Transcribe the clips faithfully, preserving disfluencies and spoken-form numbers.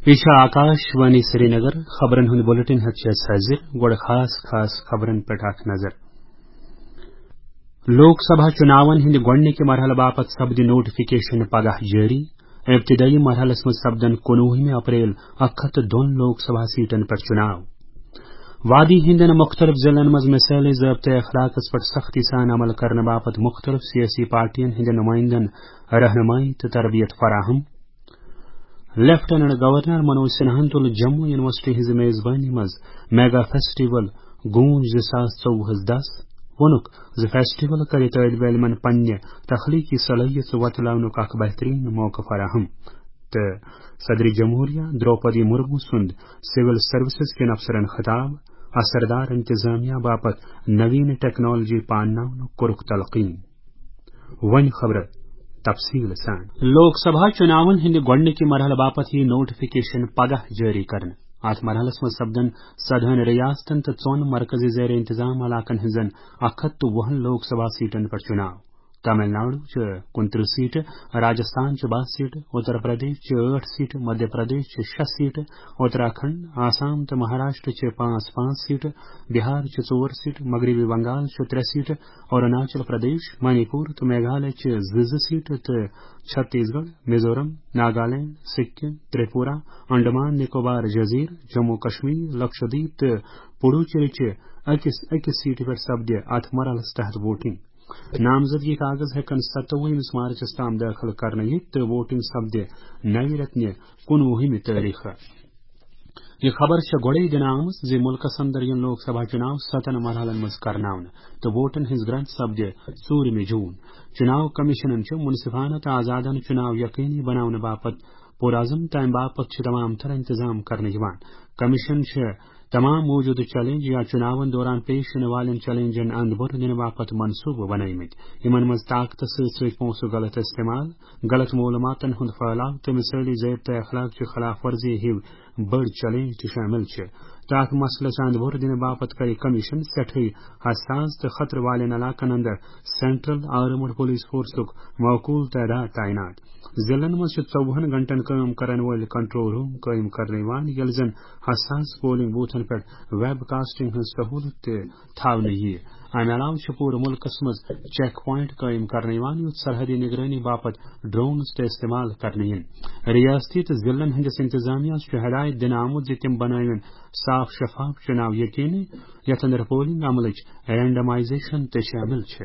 یہِ چھُ آکاش وانی سرینگر۔ خبرن ہُنٛد بلیٹن ہیتھ چھِ أسۍ حٲضِر۔ گۄڈٕ خاص خاص خبرن پٮ۪ٹھ اکھ نظر۔ لوک سبھا چُناون ہٕنٛدِ گۄڈٕنِکہِ مرحلہٕ باپتھ سپدِ نوٹیفکیشن پگاہ جٲری۔ ابتدٲیی مرحلس منٛز سپدن کُنوُہمہِ اپریل اکھ ہتھ تہٕ دۄن لوک سبھا سیٹن پٮ۪ٹھ چُناو۔ وادی ہٕنٛدٮ۪ن مُختٔلِف ضِلعن منٛز مثٲلی ضٲبطہٕ اخلاقس پٮ۪ٹھ سختی سان عمل کرنہٕ باپتھ مُختٔلِف سیٲسی پارٹین ہٕنٛدٮ۪ن نُمٲیندن رہنمٲیی تہٕ تربیت فراہم۔ لیفٹیننٹ گورنر منوج سنہاہن تُل جموں یونیورسٹی ہٕنٛزِ میزبٲنی منٛز میگا فیسٹیول گونج زٕ ساس ژوٚوُہس دس۔ ووٚنُکھ زِ فیسٹیول کرِ طٲلب علمن پننہِ تخلیقی صلٲحیت وۄتلاونُک اکھ بہترین موقعہٕ فراہم۔ تہٕ صدر جمہوریہ درٛوپدی مرمو سُنٛد سول سروسز کٮ۪ن افسرن خطاب، اثردار انتظامیہ باپتھ نوین ٹیکنالوجی پانناونُک کوٚرُکھ تلقین۔ وۄنۍ خبرٕ تفصیل سان۔ لوک سبھا چُناون ہٕنٛدِ گۄڈٕنِکہِ مرحلہٕ باپتھ یِیہِ نوٹیفکیشن پگاہ جٲری کرنہٕ۔ اتھ مرحلس منٛز سپدن سدہن ریاستن تہٕ ژۄن مرکزی زیر انتظام علاقن ہٕنٛزن اکھ ہتھ تہٕ وُہن لوک سبھا سیٹن پٮ۪ٹھ چُناو۔ تامل ناڈو چھِ کُنترٕہ سیٹہٕ، راجستھان چھِ باہ سیٹہٕ، اتر پردیش چھِ ٲٹھ سیٹہٕ، مدھیہ پردیش چھِ شےٚ سیٹہٕ، اتراکھنڈ، آسام تہٕ مہاراشٹر چھِ پانٛژھ پانٛژھ سیٹہٕ، بہار چھِ ژور سیٹہٕ، مغربی بنگال چھِ ترٛےٚ سیٹہٕ، اروناچل پردیش، منی پور تہٕ میگھالیہ چھِ زٕ زٕ سیٹہٕ تہٕ چھتیس گڑھ، میزورم، ناگالینڈ، سکم، تریپورہ، انڈمان نکوبار جزیرٕ، جموں کشمیر، لکشدیپ تہٕ پڈوچیری چھِ أکِس أکِس سیٹہِ پٮ۪ٹھ سپدِ اتھ مرحلس تحت ووٹنگ۔ نامزدگی کاغذ ہیٚکن ستووُہمِس مارچس تام دٲخل کرنہٕ یِتھ تہٕ ووٹنگ سپدِ نوِ رٮ۪تہٕ نہِ کُنوُہمہِ تٲریخہٕ۔ یہِ خبر چھےٚ گۄڈَے دِنہٕ آمٕژ زِ مُلکَس اندر یِن لوک سبھا چُناو ستن مرحلن منٛز کرناونہٕ تہٕ ووٹن ہٕنٛز گرنٹ سپدِ ژوٗرمہِ جوٗن۔ چُناو کمیشنن چھُ منصفانہٕ تہٕ آزادانہٕ چُناو یقینی بناونہٕ باپتھ پُرعزم، تَمہِ باپتھ چھِ تمام تر انتظام کرنہٕ یِوان۔ کمیشن چھِ تمام موجودٕ چیلنج یا چُناون دوران پیش یِنہٕ والٮ۪ن چیلنجن اند بۄر دِنہٕ باپتھ منصوبہٕ بنٲومٕتۍ، یِمن منٛز طاقتس سۭتۍ سۭتۍ پونٛسہٕ غلط استعمال، غلط معلوماتن ہُنٛد پھٔہلاو تہٕ مثٲلی ضٲبطہٕ اخلاق چہِ خلاف ورزی ہِوۍ بٔڑۍ چیلنج تہِ شٲمِل چھِ۔ تہٕ اتھ مسلس اند بۄر دِنہٕ باپتھ کرِ کمیشن سٮ۪ٹھٕے حساس تہٕ خطرٕ والٮ۪ن علاقن اندر سینٹرل آرمڈ پولیس فورسُک معقول تعداد تعینات۔ ضلعن منٛز چھِ ژوٚوُہن گھنٹن کٲم کرن وٲلۍ کنٹرول روم قٲیِم کرنہٕ یِوان، ییٚلہِ زن حساس پولنگ بوتھن پٮ۪ٹھ ویب کاسٹنگ ہٕنٛز سہولت تہِ تھاونہٕ یِیہِ۔ امہِ علاوٕ چھِ پوٗرٕ مُلکس منٛز چیک پوینٹ قٲیِم کرنہٕ یِوان، یُتھ سرحدی نگرٲنی باپتھ ڈرونز تہِ استعمال کرنہٕ یِن۔ ریاستی تہٕ ضلعن ہٕنٛدِس انتظامیہس چھُ ہدایت دِنہٕ آمُت زِ تِم بنٲوِن صاف شفاف چُناو یقینی، یتھ اندر پولنگ عملٕچ رینڈمائزیشن تہِ شٲمِل چھِ۔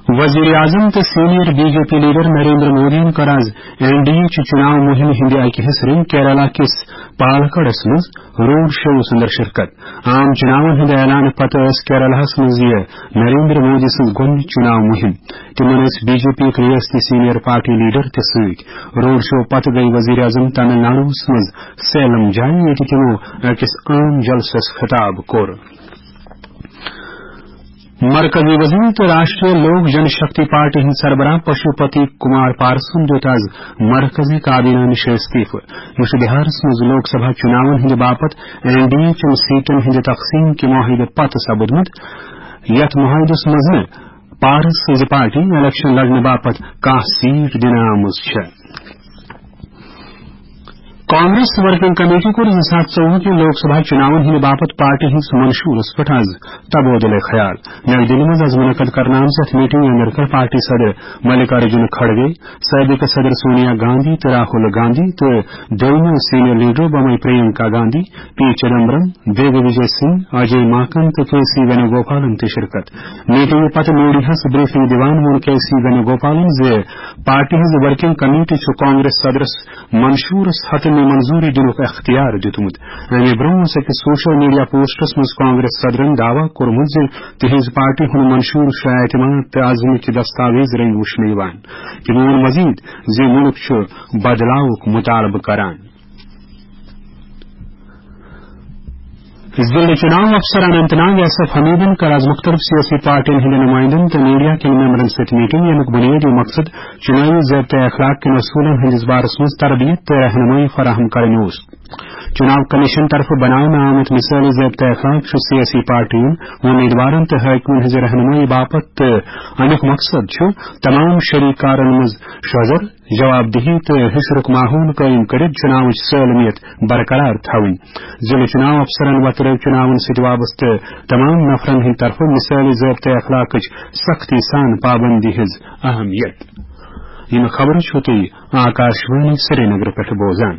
وزیر اعظم تہٕ senior B J P leader Narendra مودیَن کٔر آز این ڈی اے چہِ چُناو مُہِمہِ ہٕنٛدِ اَکہِ حصہٕ رٔنگۍ کیرالہ کِس پالکڑس منٛز روڈ شوَس اندر شرکت۔ عام چُناون ہٕنٛدِ اعلانہٕ پتہٕ ٲس کیرالہَس منٛز یہِ نریندر مودی سٕنٛز گۄڈٕنِچ چُناو مُہِم۔ تِمَن ٲسۍ بی جے پی یُک ریاستی سینئر پارٹی لیڈر تہِ سۭتۍ۔ روڈ شو پتہٕ گٔیہِ وزیر اعظم تامل ناڈوَس منٛز سیلم جایہِ، ییٚتہِ تِمَو أکِس عام جلسَس خطاب کوٚر۔ مرکزی وزیر تہٕ راشٹریہ لوک جن شکتی پارٹی ہٕنٛدۍ سربراہ پشوپتی کمار پارسن دیُت آز مرکزی کابینہ نِش استعفہٕ۔ یہِ چھُ بِہارس منٛز لوک سبھا چُناون ہٕنٛدِ باپتھ این ڈی اے چٮ۪ن سیٹن ہٕنٛدِ تقسیٖم کہِ معاہدٕ پتہٕ سپُدمُت، یتھ معاہدس منٛز نہٕ پارس سٕنٛزِ پارٹی الیکشن لڑنہٕ باپتھ کانٛہہ سیٹ دِنہٕ آمٕژ چھےٚ۔ کانگریس ورکنگ کمیٹی کوٚر زٕ ساس ژوٚوُہ کہِ لوک سبھا چُناون ہٕنٛدِ باپتھ پارٹی ہٕنٛدِس منشورس پٮ۪ٹھ آز تبادلہٕ خیال۔ نئی دِلہِ منٛز آز منعقد کرنہٕ آمژِ یتھ میٹنگہِ اندر کٔر پارٹی صدر ملکارجن کھڑگے، سٲبقہٕ صدر سونیا گاندھی تہٕ راہل گاندھی تہٕ دوٚیمٮ۪و سینئر لیڈرو بمے پرینکا گاندھی، پی چدمبرم، دیگویجے سنگھ، اجے ماکن تہٕ کے سی وینوگوپالن تہِ شرکت۔ میٹنگہِ پتہٕ میڈیاہس بریفنگ دِوان ووٚن کے سی وینوگوپالن زِ پارٹی ہٕنٛز ورکنگ کمیٹی چھُ کانگریس صدرس منشورس حتمی منظوری دِنُک اختیار دیُتمُت۔ اَمہِ برٛونٛہہ اوس أکِس سوشل میڈیا پوسٹس منٛز کانگریس صدرن دعویٰ کوٚرمُت زِ تِہنٛز پارٹی ہُنٛد منشور چھُ اعتماد تہٕ عزمٕکۍ دستاویز رٔنگۍ وُچھنہٕ یِوان۔ تِمو ووٚن مزید زِ مُلک چھُ بدلاوُک مطالبہٕ کران۔ ضلع چُناو افسر اننت ناگ ایس ایف حمیدن کٔر آز مُختٔلِف سیٲسی پارٹین ہٕنٛدٮ۪ن نُمٲیندن تہٕ میڈیا کٮ۪ن ممبرن سۭتۍ میٹنگ، ییٚمیُک بُنیٲدی مقصد چُناوی ضٲبطہٕ اخلاق کٮ۪ن اصوٗلن ہٕنٛدِس بارس منٛز تربیت تہٕ رہنمٲیی فراہم کرٕنۍ اوس۔ چناو کمیشن طرفہٕ بناونہٕ آمت مثٲلی ضٲبطہٕ اخلاق چھُ سیٲسی پارٹیَن، امیدوارن تہٕ حٲکمن ہٕنٛزِ رہنمٲیی باپتھ، تہٕ امیُک مقصد چھُ تمام شریک کارن منٛز شوزر، جواب دہی تہٕ ہشرُک ماحول قٲیِم کٔرِتھ چناوٕچ سالمیت برقرار تھاوٕنۍ۔ ضلع چناو افسرن وۄتلٲو چناون سۭتۍ وابستہٕ تمام نفرن ہٕنٛدِ طرفہٕ مثٲلی ضٲبطہٕ اخلاقٕچ سختی سان پابندی ہٕنٛز اہمیت۔ یِم خبرٕ چھِو تُہۍ آکاشوانی سرینگر پٮ۪ٹھ بوزان۔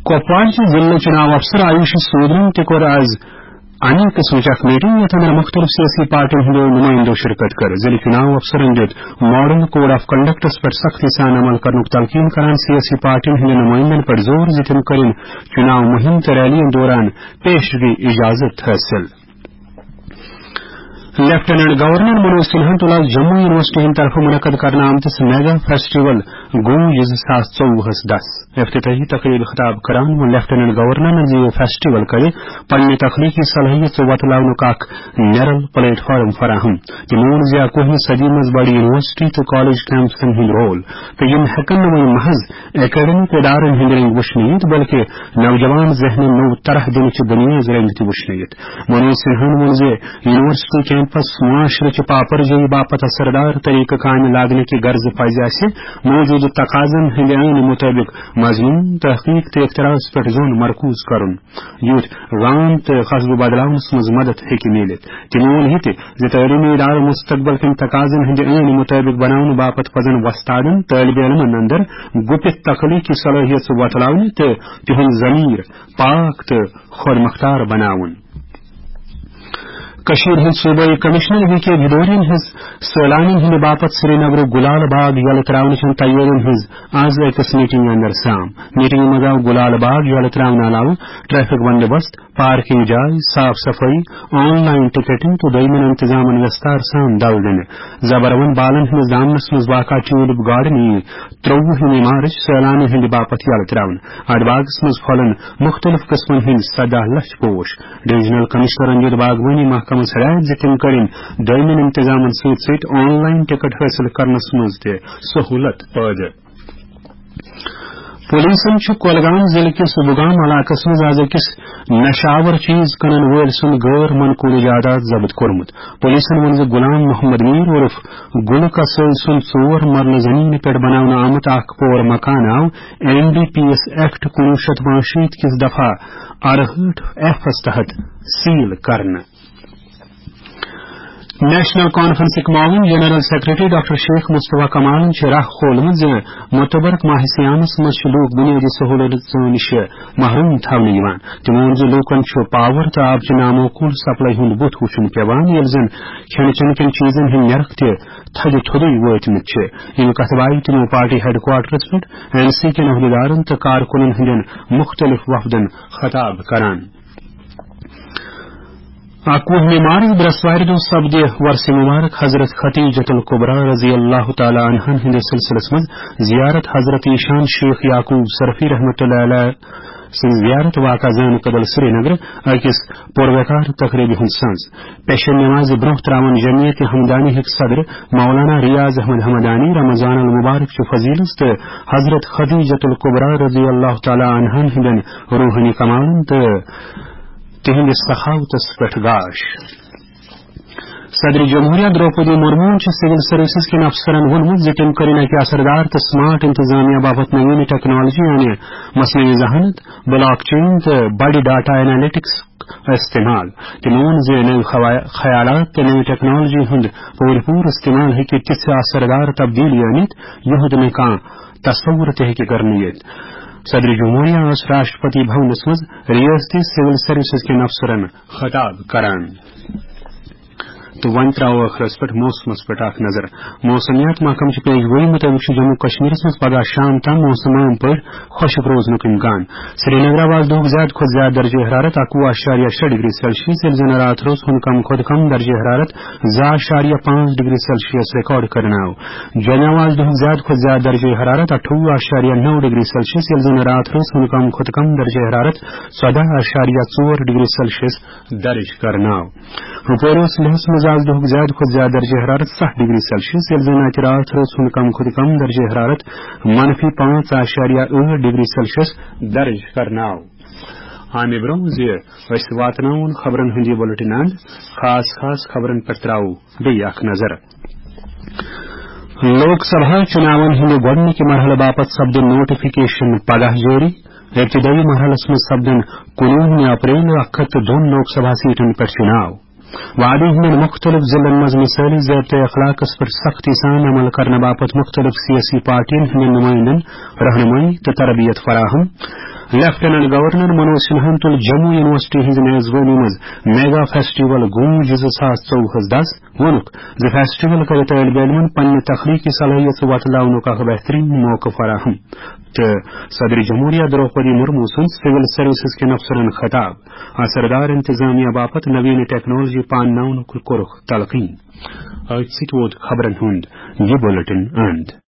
کپوارچہِ ضلع چناو افسر آیوشی سودرن تہِ کوٚر از اَمہِ قٕسمٕچ اکھ میٹنگ، یَتھ اندر مُختٔلِف سیٲسی پارٹین ہٕنٛدیو نُمٲیندو شرکت کٔر۔ ضلع چناو افسرن دیُت ماڈل کوڈ آف کنڈکٹس پٮ۪ٹھ سختی سان عمل کرنُک تلقین کران سیٲسی پارٹین ہٕنٛدٮ۪ن نُمٲیندن پٮ۪ٹھ زور زِ تِم کٔرِن چناو مُہِم تہٕ ریلیَن دوران پیشگی اجازت حٲصِل۔ لیفٹیننٹ گورنر منوج سنہاہن تُل آز جموں یونیورسٹی ہٕنٛدِ طرفہٕ منعقد کرنہٕ آمتِس میگا فیسٹیول گوٗج زٕ ساس ژوٚوُہس دس افتتاحی تقریبہِ خطاب کران ووٚن لیفٹیننٹ گورنرن زِ یہِ فیسٹیول کرِ پننہِ تخلیقی صلٲحیت وۄتلاونُک اکھ نیرل پلیٹ فارم فراہم۔ تٔمۍ ووٚن زِ اکوُہمہِ صدی منٛز بڑِ یونیورسٹی تہٕ کالج کیمپسن ہُنٛد رول، تہٕ یِم ہٮ۪کن نہٕ وۄنۍ محض اکیڈمک ادارن ہٕنٛدۍ رنٛگۍ وٕچھنہٕ یِتھ، بلکہِ نوجوان ذہنن نوٚو طرح دِنٕچ بُنیاد رنٛگۍ تہِ وٕچھنہٕ یِتھ۔ منوج سنہاہن ووٚن زِ یونیورسٹی کیمپس معاشرٕ چہِ پاپرجٲیی باپتھ اثردار طریقہٕ کامہِ لاگنہٕ کہِ غرضہٕ پزِ اسہِ موجودٕ تقاضن ہٕنٛدِ عینہٕ مُطٲبق مضمون، تحقیق تہٕ اختراعس پٮ۪ٹھ زون مرکوز کرُن، یُتھ گام تہٕ قصبہٕ بدلاونس منٛز مدد ہیٚکہِ میٖلِتھ۔ تٔمۍ ووٚن یہِ تہِ زِ تعلیمی ادارٕ مستقبل کٮ۪ن تقاضن ہٕنٛدِ عینہٕ مُطٲبق بناونہٕ باپتھ پزن وۄستادن طٲلبہِ علمن اندر گُپِتھ تخلیقی صلٲحیت وۄتلاونہِ تہٕ تِہُنٛد ضمیر پاک تہٕ خۄد مختار بناوُن۔ کٔشیٖرِ ہٕنٛدۍ صوبٲئی کمشنر وی کے بھدورین ہٕنٛز سٲلانین ہٕنٛدِ باپتھ سرینگرُک گُلال باغ یلہٕ ترٛاونہٕ چٮ۪ن تیٲرین ہٕنٛز از أکِس میٹنگہِ اندر سام۔ میٹنگہِ منٛز آو گُلال باغ یلہٕ ترٛاونہٕ علاوٕ ٹریفک بندوبست، پارکنگ جاے، صاف صفٲیی، آن لائن ٹکٹنگ تہٕ دوٚیمٮ۪ن انتظامن وستار سان دل دِنہٕ۔ زبروَن بالن ہٕنٛدِس دامنس منٛز واقع ٹیولپ گارڈن یِیہِ ترٛۆوُہمہِ مارچ سٲلانن ہٕنٛدِ باپتھ یلہٕ ترٛاونہٕ۔ اتھ باغس منٛز پھۄلن مُختٔلِف قٕسمن ہٕنٛدۍ سداہ لچھ پوش۔ ڈویژنل کمشنرن دِیُت باغبٲنی محکمس ہدایت زِ تِم کٔرِن دۄیمٮ۪ن انتظامن سۭتۍ سۭتۍ آن لائن ٹکٹ حٲصِل کرنس منٛز تہِ سہولت پٲدٕ۔ پولیسن چھُ کۄلگام ضلعہٕ کِس بُگام علاقس منٛز از أکِس نشہٕ آور چیز کٕنن وٲلۍ سُنٛد غٲر منقول جائیداد ضبط کوٚرمُت۔ پولیسن ووٚن زِ غلام محمد میر عرف گُلہٕ کسٲے سُنٛد ژور مرلہٕ زمینہِ پٮ۪ٹھ بناونہٕ آمُت اکھ پور مکان آو N D P S act کُنوُہ شیٚتھ پانٛژشیٖتھ کِس دفعہ ارہٲٹھ ایفس تحت سیل کرنہٕ۔ نیشنل کانفرنسٕکۍ معاون جنرل سیکرٹری ڈاکٹر شیخ مصطفیٰ کمالن چھِ راہ کھولمٕژ زِ متبرک ماہ صیامس منٛز چھِ لوٗکھ بنیٲدی سہوٗلژو نِش محروم تھاونہٕ یِوان۔ تٔمۍ ووٚن زِ لوٗکن چھُ پاور تہٕ آبچہِ نامعقول سپلائی ہُنٛد بُتھ وُچھُن پٮ۪وان، ییٚلہِ زن کھٮ۪نہٕ چٮ۪نہٕ کٮ۪ن چیٖزن ہٕنٛدۍ نرخ تہِ تھدِ تھوٚدُے وٲتمٕتۍ چھِ۔ ییٚمہِ کتھٕ باوِ تِمو پارٹی ہیڈ کوارٹرس پٮ۪ٹھ این سی کٮ۪ن عہدیدارن تہٕ کارکُنن ہٕنٛدٮ۪ن مُختٔلِف وفدن خطاب کران۔ اکوُہمہِ مارچ برٛٮ۪سوارِ دۄہ سپدِ وۄرثہِ مبارک حضرت خدیجۃ الکبریٰ رضی اللہ تعالیٰ عنہن ہٕنٛدِس سلسلس منٛز زیارت حضرت ایشان شیخ یعقوب صرفی رحمۃ اللہ علیہ سٕنٛز زیارت واقع زانہٕ کدل سرینگر أکِس پُروقار تقریبہِ ہُنٛد سنز۔ پیشن نمازِ برونٛہہ تراون جمعیت ہمدانی ہٕکۍ صدر مولانا ریاض احمد ہمدانی رمضان المبارک چہِ فضیلت تہٕ حضرت خدیجۃ الکبریٰ رضی اللہ تعالیٰ عنہن ہٕنٛدٮ۪ن روحٲنی کمالن تہٕ تِہنٛدِس سخاوتس پٮ۪ٹھ گاش۔ صدر جمہوریہ درٛوپدی مرموہن چھُ سول سروسز کٮ۪ن افسرن ووٚنمُت زِ تِم کٔرِن اکہِ اثردار تہٕ سمارٹ انتظامیہ باپتھ نوین ٹیکنالوجی، یعنی مصنوعی ذہانت، بلاک چین تہٕ بڑِ ڈیٹا اینالیٹکس استعمال۔ تٔمۍ ووٚن زِ نٔوۍ خوا-، خیالات تہٕ نٔوۍ ٹیکنالوجی ہُنٛد پوٗرٕ پوٗرٕ استعمال ہیٚکہِ تِژھ اثردار تبدیلی أنِتھ، یُہُنٛد نہٕ کانٛہہ تصور تہِ ہیٚکہِ کرنہٕ یِتھ۔ صدر جمہوریہ ٲس راشٹرپتی بھونس منٛز ریاستی سول سروسز کٮ۪ن افسرن خطاب کران۔ تہٕ وۄنۍ ترٛاوو ٲخرس پٮ۪ٹھ موسمس پٮ۪ٹھ اکھ نظر۔ موسمیات محکمہٕ چہِ پیش گویی مُطٲبِق چھُ جموں کشمیرس منٛز پگاہ شام تام موسم عام پٲٹھۍ خۄشک روزنُک امکان۔ سرینگرٕ آو آز دۄہُک زیادٕ کھۄتہٕ زیادٕ درجہ حرارت اکوُہ اعشاریہ شےٚ ڈگری سیلسیس، ییٚلہِ زن راتھ روز ہُنٛد کم کھۄتہٕ کم درجہ حرارت زٕ اعشاریہ پانٛژھ ڈگری سیلسیس ریکارڈ کرنہٕ آو۔ جوٚمہِ آو آز دۄہُک زیادٕ کھۄتہٕ زیادٕ درجہ حرارت اَٹھووُہ اعشاریہ نَو ڈگری سیلسیس، ییٚلہِ زن راتھ روز ہُنٛد کم کھۄتہٕ کم درجہ حرارت ژۄداہ اعشاریہ ژور ڈگری سیلسیس درج کرنہٕ آو۔ ہُپٲرۍ اوس لیہس منٛز آز دۄہُک زیادٕ کھۄتہٕ زیادٕ درجہ حرارت ستھ ڈگری سیلسیس، ییٚلہِ زن اتہِ راتھ رٲژ ہُنٛد کم کھۄتہٕ کم درجہ حرارت منفی پانٛژھ اعشاریہ ٲٹھ ڈگری سیلسیس درج کرنہٕ آو۔ امہِ برٛونٛہہ زِ أسۍ واتناوون خبرن ہُنٛد یہِ بُلٹن اند، خاص خاص خبرن پٮ۪ٹھ ترٛاوو بیٚیہِ اکھ نظر۔ لوک سبھا چُناون ہٕنٛدِ گۄڈٕنِکہِ مرحلہٕ باپتھ سپدِ نوٹیفکیشن پگاہ جٲری۔ ابتدٲیی مرحلس منٛز سپدن کُنوُہمہِ اپریل اکھ ہتھ تہٕ دۄن لوک سبھا سیٹن پٮ۪ٹھ چُناو۔ وعدٕ ہٕنٛدٮ۪ن مُختٔلِف ضلعن منٛز مثٲلی ضابطہ اخلاقس پٮ۪ٹھ سختی سان عمل کرنہٕ باپتھ مُختٔلِف سیٲسی پارٹین ہٕنٛدٮ۪ن نُمٲیندن رہنمٲیی تہٕ تربیت فراہم۔ لیفٹیننٹ گورنر منوج سنہاہن تُل جموں یونیورسٹی ہٕنٛزِ میزبٲنی منٛز میگا فیسٹیول گونج زٕ ساس ژوٚوُہس دس۔ ووٚنُکھ زِ فیسٹیول کرِ طٲلب علمن پننہِ تخلیقی صلٲحیت وۄتلاونُک اکھ بہترین موقعہٕ فراہم۔ تہٕ صدر جمہوریہ دروپدی مرمو سُنٛد سول سروسز کٮ۪ن افسرن خطاب۔ اثردار انتظامیہ باپتھ نوین ٹیکنالوجی پانناونُک کوٚرُکھ تلقین۔ أتھۍ سۭتۍ ووت خبرن ہُنٛد یہِ بُلٹن اند۔